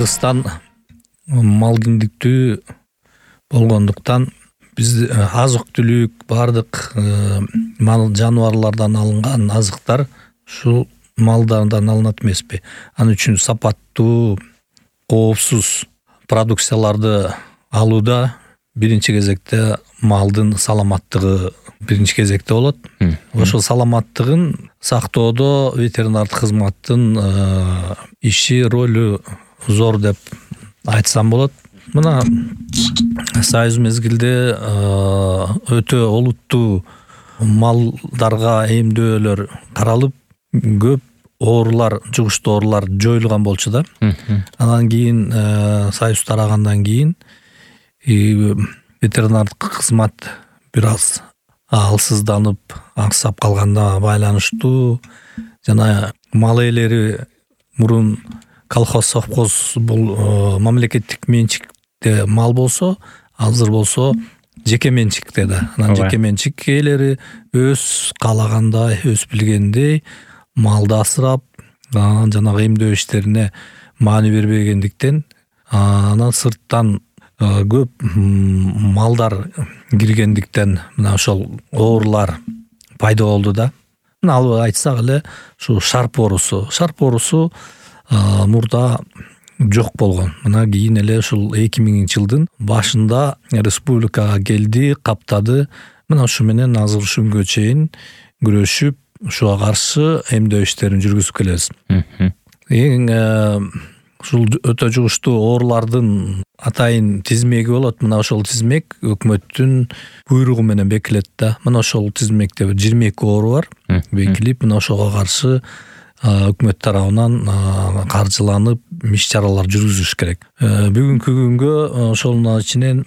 Кыргызстан мал киндиктүү болгондуктан биз азык түлүк бардык мал жаныбарлардан алынган азыктар ушул малдардан алынат эмеспи. Ал үчүн сапаттуу, коопсуз продукцияларды алууда биринчи кезекте малдын саламаттыгы биринчи кезекте болот. Ошол саламаттыгын сактоодо ветеринардык кызматтын иши, ролу зор деп айтсам болот. Мына союз мезгилде өтө олуттуу малдарга эмдөөлөр каралып, көп оорулар, жугуштуу оорулар жоюлган болчу да. Анан кийин союз тарагандан кийин ветеринардык кызмат бир аз алсызданып, аксап калганда байланыштуу жана мал ээлери мурун колхоз, совхоз бул мамлекеттик менчикте мал болсо, азыр болсо жеке менчикте да. Анан жеке менчик ээлери өз каалагандай, өз билгендей малды асырап, жанагы эмдөө иштерине маани бербегендиктен анан сырттан көп малдар киргендиктен мына ошол оорулар пайда болду да. Мына алып айтсак эле ушу шарп оорусу мурда жок болгон. Мына кийин эле ушул 2000-жылдын башында республикага келди, каптады. Мына ушу менен азыр ушул күнгө чейин күрөшүп, ушуга каршы эмдөө иштерин жүргүзүп келебиз. Эң ушул өтө жугуштуу оорулардын атайын тизмеги болот. Мына ошол тизмек өкмөттүн буйругу менен бекилет да. Мына ошол тизмекте 22 оору бар бекилип, мына ошого каршы өкмөт тарабынан каржыланып иш-чаралар жүргүзүш керек. Бүгүнкү күнгө ошонун ичинен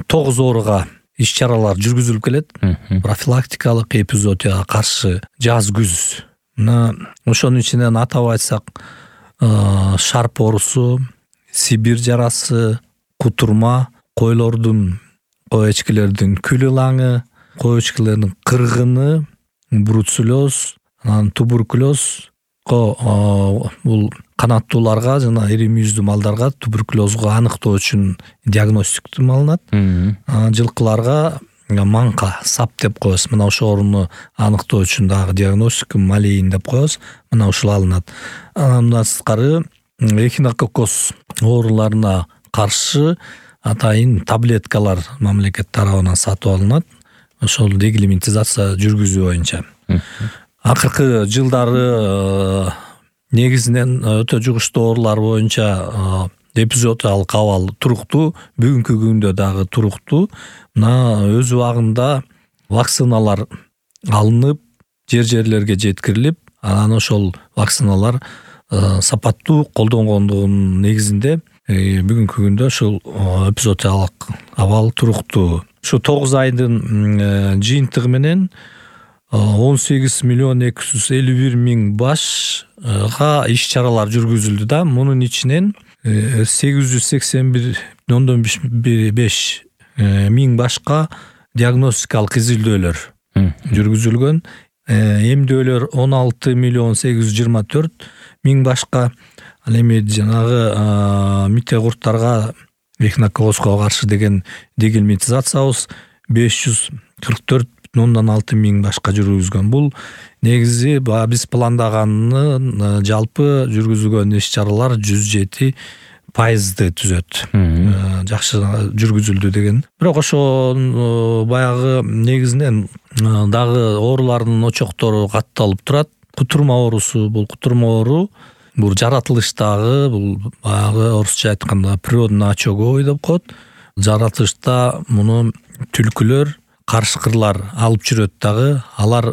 9 ооруга иш-чаралар жүргүзүлүп келет. Профилактикалык, эпизоотияга каршы жаз-күз. Мына ошонун ичинен атап айтсак, шарп оорусу, Сибирь жарасы, кутурма, койлордун, кой эчкилердин күл ылаңы, кой эчкилердин кыргыны, бруцеллез, анан туберкулез, бул канаттууларга жана ири мүйүздүү малдарга туберкулезго аныктоо үчүн диагностикум алынат. Жылкыларга манка, сап деп коебуз. Мына ошол ооруну аныктоо үчүн дагы диагностикум малейин деп коебуз. Мына ушул алынат. Андан сырткары эхинококкоз ооруларына каршы атайын таблеткалар мамлекет тарабынан сатып алынат. Ошол регламентизация жүргүзүү боюнча. Акыркы жылдары негизинен өтө жугуштуу оорулар боюнча эпизоотиялык абал туруктуу, бүгүнкү күндө дагы туруктуу. Мына өз убагында вакциналар алынып, жерлерге жеткирилип, анан ошол вакциналар сапаттуу колдонгондугунун негизинде бүгүнкү күндө ушул эпизоотиялык абал туруктуу. Ушу 9 айдын жыйынтыгы менен 18 миллион 251 миң башка иш-чаралар жүргүзүлдү да. Мунун ичинен 881,5 миң башка диагностикалык изилдөөлөр жүргүзүлгөн. Эмдөөлөр 16 миллион 824 миң башка. Ал эми жанагы мите курттарга эхинококкозго каршы деген регламентизациябыз 544,6 миң башка жүргүзгөн. Бул негизи биз пландаганын жалпы жүргүзүлгөн иш-чаралар 107% түзөт. Жакшы жүргүзүлдү деген. Бирок ошол баягы негизинен дагы оорулардын очоктору катталып турат. Кутурма оорусу, бул кутурма оору бул жаратылыштагы, бул баягы орусча айтканда природный очаговый деп коет. Жаратылышта муну түлкүлөр, карышкырлар алып жүрөт дагы. Алар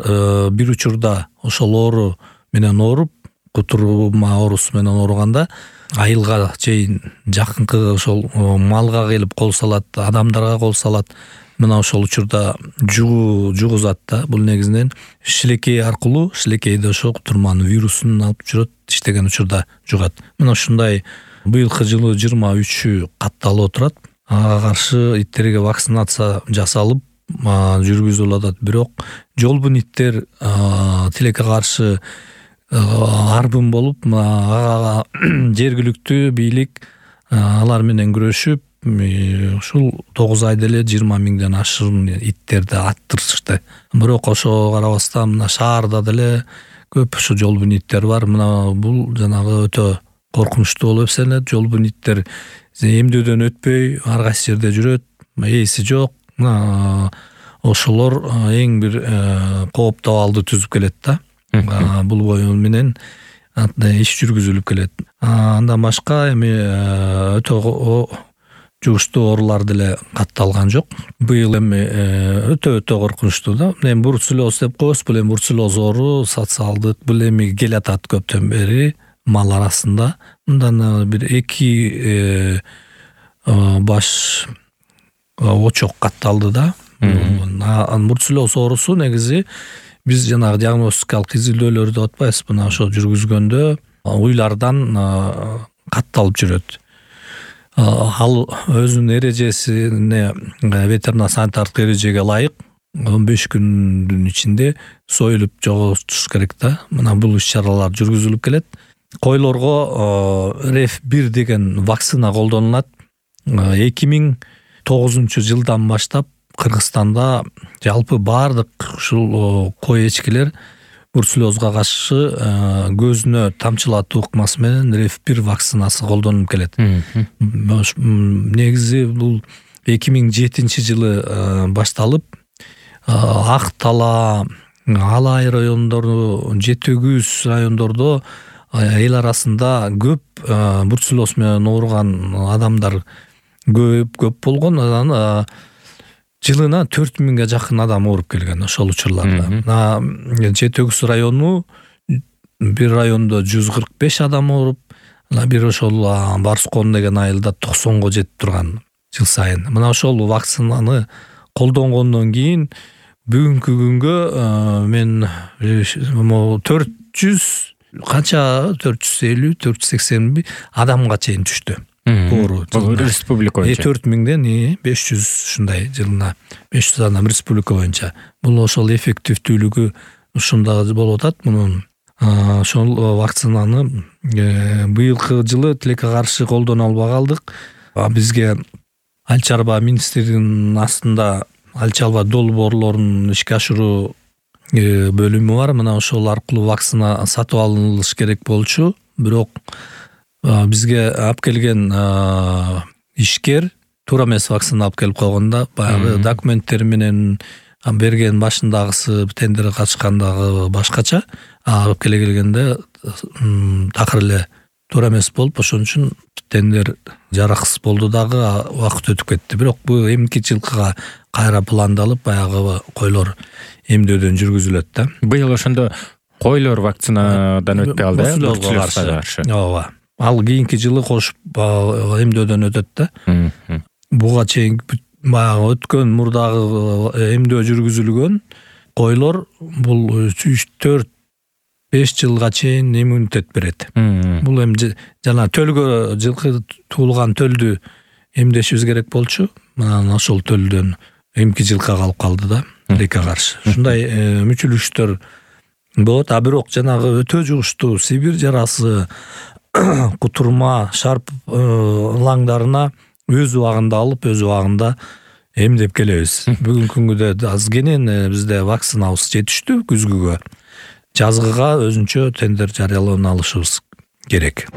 бир учурда ошол оору менен ооруп, кутурма оорусу менен ооруганда айылга чейин жакынкы ошол малга келип кол салат, адамдарга кол салат. Мына ошол учурда жугузат да. Бул негизинен шилекей аркылуу, шилекейде ошо кутурманын вирусун алып жүрөт, иштеген учурда жугат. Мына ушундай быйылкы жылы 23 катталып отурат. Ага каршы иттерге вакцинация жасалып жүргүзүлүп атат. Бирок жолбун иттер тилекке каршы арбын болуп, ага жергиликтүү бийлик алар менен күрөшүп ушул 9 айда эле 20 миңден ашуун иттерди аттырышты. Бирок ошого карабастан мына шаарда деле көп ушу жолбун иттер бар. Мына бул жанагы өтө коркунучтуу болуп эсептелет. Жолбун иттер эмдөөдөн өтпөй ар кайсы жерде жүрөт, ээси жок. Ошолор эң бир кооптуу абалды түзүп келет да. Бул бою менен иш жүргүзүлүп келет. Андан башка эми өтө жугуштуу оорулар деле катталган жок. Быйыл эми өтө коркунучтуу да. Эми бруцеллез деп коебуз. Бул эми бруцеллез оору социалдык, бул эми келатат көптөн бери мал арасында. Мындан бир 2 баш очок катталды да. Бруцеллез оорусу негизи биз жанагы диагностикалык изилдөөлөрдү деп атпайбызбы, мына ошо жүргүзгөндө уйлардан катталып жүрөт. Ал өзүнүн эрежесине, ветеринар санитардык эрежеге ылайык 15 күндүн ичинде союлуп жоготуш керек да. Мына бул иш-чаралар жүргүзүлүп келет. Койлорго RF1 деген вакцина колдонулат. 2009 жылдан баштап Кыргызстанда жалпы баардык ушул кой эчкилер бруцеллезга каршы көзүнө тамчылатуу ыкмасы менен RF1 вакцинасы колдонулуп келет. Негизи бул 2007 жылы башталып, Ак Тала, Алай райондору, Жети Күз райондордо эл арасында көп бруцеллез менен ооруган адамдар көп болгон. Жылына 4000ге жакын адам ооруп келген ошол учурларда. Жети Күз району бир райондо 145 адам ооруп, бир ошол Барскон деген айылда 90го жетип турган жыл сайын. Мына ошол вакцинаны колдонгондон кийин бүгүнкү күнгө мен 400 канча 450-480 адамга чейин түштү. Оору республика боюнча 4000ден 500 ушундай жылына 500 адам республика боюнча. Бул ошол эффективдүүлүгү ушунда болуп атат. Мунун ошол вакцинаны быйылкы жылы тилекке каршы колдоно албай калдык. Бизге Айыл чарба министрлигинин астында айыл чарба долбоорлорун ишке ашыруу бөлүмү бар. Мына ошол аркылуу вакцина сатып алыныш керек болчу. Бирок бизге алып келген ишкер туура эмес вакцина алып келип койгонда, баягы документтер менен берген башындагысы тендерге катышкандагы башкача, алып келгенде такыр эле туура эмес болуп, ошон үчүн тендер жараксыз болду дагы, убакыт өтүп кетти. Бирок бул эмки жылкыга кайра пландалып, баягы койлор эмдөөдөн жүргүзүлөт да. Быйыл ошондо койлор вакцинадан өтпөй алды, бруцеллезге каршы. Ооба. Ал кийинки жылы кошуп эмдөөдөн өтөт да. Буга чейин баягы өткөн мурдагы эмдөө жүргүзүлгөн койлор бул 3-4-5 жылга чейин иммунитет берет. Бул эми жана төлгө жылкы туулган төлдү эмдешибиз керек болчу. Мына ошол төлдөн эмки жылкы калып калды да, тилекке каршы. Ушундай мүчүлүштөр болот. Бирок жанагы өтө жугуштуу Сибирь жарасы, кутурма, шарп ылаңдарына өз убагында алып, өз убагында эмдеп келебиз. Бүгүнкү күндө азгенен бизде вакцинабыз жетиштүү күзгүгө. Жазгыга өзүнчө тендер жарыялана алышыбыз керек.